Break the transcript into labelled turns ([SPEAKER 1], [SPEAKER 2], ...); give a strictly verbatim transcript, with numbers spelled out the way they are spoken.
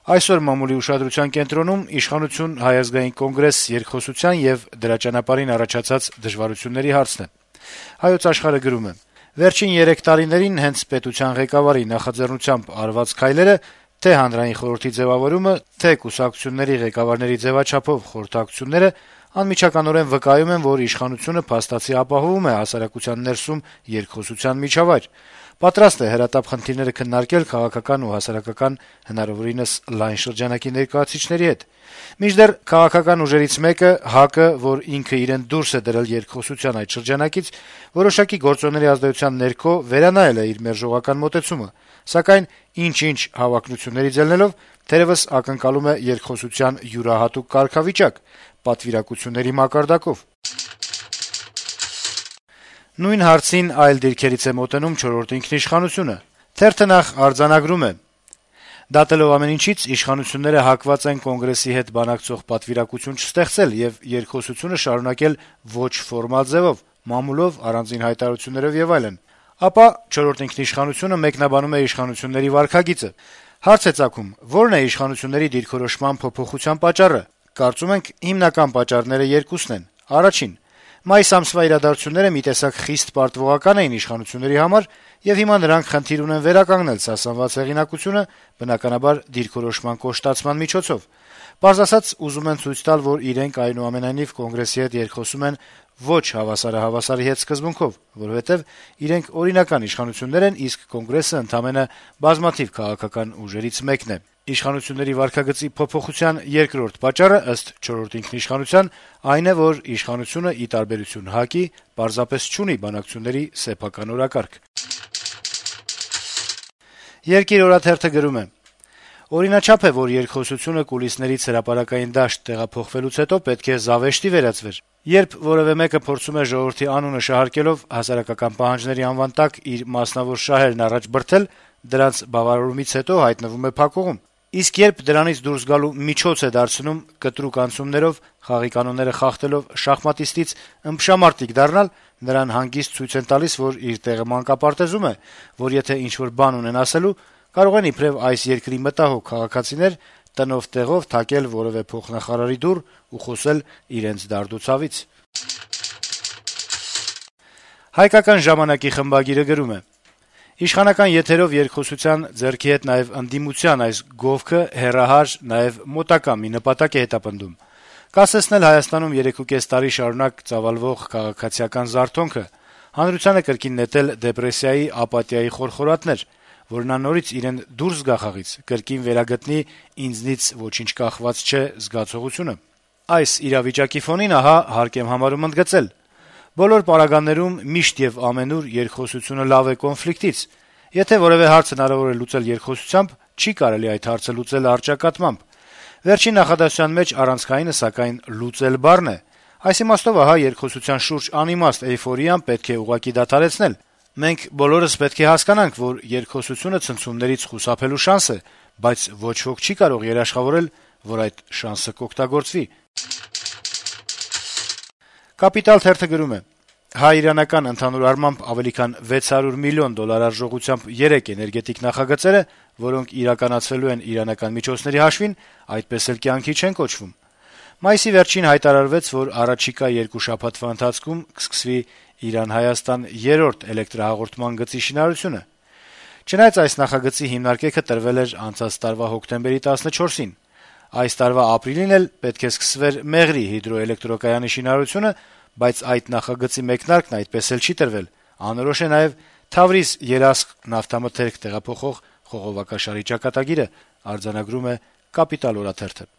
[SPEAKER 1] Այսօր մամուլի ուշադրության կենտրոնում իշխանություն Հայ ազգային կոնգրես երկխոսության եւ դրա ճանապարհին առաջացած դժվարությունների հարցն է։ Հայոց աշխարհը գրում է. - «Վերջին երեք տարիներին հենց պետության ղեկավարի նախաձեռնությամբ արված քայլերը, թե հանրային խորհրդի ձեւավորումը, թե կուսակցությունների ղեկավարների ձեւաչափով խորհրդակցությունները անմիջականորեն վկայում են, որ իշխանությունը փաստացի ապահովում է հասարակության ներսում երկխոսության միջավայր, պատրաստ է հրատապ խնդիրները քննարկել քաղաքական ու հասարակական հնարավորինս լայն շրջանակի ներկայացուցիչների հետ։ Մինչդեռ քաղաքական ուժերից մեկը՝ ՀԱԿ-ը, որ ինքը իրեն դուրս է դրել երկխոսության այդ շրջանակից, որոշակի գործոնների ազդեցության ներքո վերանայել է իր մերժողական մոտեցումը, սակայն ինչ-ինչ հավակնություններից ելնելով թերեւս ակնկալում է երկխոսության յուրահատուկ կարգավիճակ՝ պատվիրակությունների մակարդակով»։ Նույն հարցին այլ դիրքերից է մոտենում «Չորրորդ ինքնիշխանություն»-ը. թերթը նախ արձանագրում է. - «Դատելով ամեն ինչից, իշխանությունները հակված են Կոնգրեսի հետ բանակցող պատվիրակություն չստեղծել եւ երկխոսությունը շարունակել ոչ ֆորմալ ձեւով, մամուլով, առանձին հայտարարություններով եւ այլն։ Ապա «Չորրորդ ինքնիշխանություն»-ը մեկնաբանում է իշխանությունների վարքագիծը։ Հարց է ծագում. ո՞րն է իշխանությունների դիրքորոշման փոփոխության պատճառը։ Կարծում ենք, հիմնական պատճառները երկուսն են. Առաջին. մայիս ամսվա իրադարձությունները մի տեսակ խիստ պարտվողական էին իշխանությունների համար, եւ հիմա նրանք խնդիր ունեն վերականգնել սասանված հեղինակությունը, բնականաբար դիրքորոշման կոշտացման միջոցով։ Պարզ ասած, ուզում են ցույց տալ, որ իրենք այնուամենայնիվ Կոնգրեսի հետ երկխոսում են ոչ հավասարը հավասարի հետ սկզբունքով, որովհետեւ իրենք օրինական իշխանություններ են, իսկ Կոնգրեսը ընդամենը բազմաթիվ քաղաքական ուժերից մեկն է։ Իշխանությունների վարքագծի փոփոխության երկրորդ պատճառը, ըստ «Չորրորդ ինքնիշխանության», այն է, որ իշխանությունը, ի տարբերություն ՀԱԿ-ի, պարզապես չունի բանակցությունների սեփական օրակարգ»։ «Երկիր» օրաթերթը գրում է. - «Օրինաչափ է, որ երկխոսությունը կուլիսներից հրապարակային դաշտ տեղափոխվելուց հետո պետք է զավեշտի վերածվեր։ Երբ որեւէ մեկը փորձում է ժողովրդի անունը շահարկելով հասարակական պահանջների անվան տակ իր մասնավոր շահերն առաջ բրդել, դրանց բավարարումից հետո հայտնվում է փակուղում։ Իսկ երբ դրանից դուրս գալու միջոց է դարձնում կտրուկ անցումներով, խաղի կանոնները խախտելով շախմատիստից ըմբշամարտիկ դառնալ, նրան հանգիստ ցույց են տալիս, որ իր տեղը մանկապարտեզում է, որ եթե ինչ-որ բան ունեն ասելու, կարող են իբրեւ այս երկրի մտահոգ քաղաքացիներ տնով տեղով թակել որեւէ փոխնախարարի դուռ ու խոսել իրենց դարդուցավից»։ «Հայկական ժամանակ»-ի խմբագիրը գրում է. - «Իշխանական եթերով երկխոսության, ձեռքի հետ նաեւ ընդդիմության այս գովքը հեռահար, նաեւ մոտակա մի նպատակ է հետապնդում՝ կասեցնել Հայաստանում երեքուկես տարի շարունակ ծավալվող քաղաքացիական զարթոնքը, հանրությանը կրկին նետել դեպրեսիայի, ապաթիայի խորխորատներ, որ նա նորից իրեն դուրս գա խաղից, կրկին վերագտնի «ինձնից ոչինչ կախված չէ» զգացողությունը։ Այս իրավիճակի ֆոնին ահա հարկ եմ համարում ընդգծել. բոլոր պարագաներում միշտ եւ ամենուր երկխոսությունը լավ է կոնֆլիկտից։ Եթե որեւէ հարց հնարավոր է լուծել երկխոսությամբ, չի կարելի այդ հարցը լուծել առճակատմամբ։ Վերջին նախադասության մեջ առանցքայինը, սակայն, լուծել բառն է։ Այս իմաստով ահա երկխոսության շուրջ անիմաստ էյֆորիան պետք է ուղղակի դադարեցնել։ Մենք բոլորս պետք է հասկանանք, որ երկխոսությունը ցնցումներից խուսափելու շանս է, բայց ոչ ոք չի կարող երաշխավորել, որ այդ շանսը կօգտագործվի»։ «Կապիտալ» թերթը գրում է. - «Հայ-իրանական ընդհանուր առմամբ ավելի քան վեց հարյուր միլիոն դոլար արժողությամբ երեք էներգետիկ նախագծերը, որոնք իրականացվելու են իրանական միջոցների հաշվին, այդպես էլ կյանքի չեն կոչվում։ Մայիսի վերջին հայտարարվեց, որ առաջիկա երկու շաբաթվա ընթացքում կսկսվի Իրան-Հայաստան երրորդ էլեկտրահաղորդման գծի շինարարությունը։ Չնայած այս նախագծի հիմնարկեքը տրվել էր անցած տարվա հոկտեմբերի տասնչորսին։ Այս տարվա ապրիլին էլ պետք է սկսվեր Մեղրի հիդրոէլեկտրակայանի շինարարությունը, բայց այդ նախագծի մեկնարկն այդպես էլ չի տրվել։ Անորոշ է նաեւ Թավրիզ-Երասխ նավթամթերք տեղափոխող խողովակաշարի ճակատագիրը», արձանագրում է «Կապիտալ» օրաթերթը։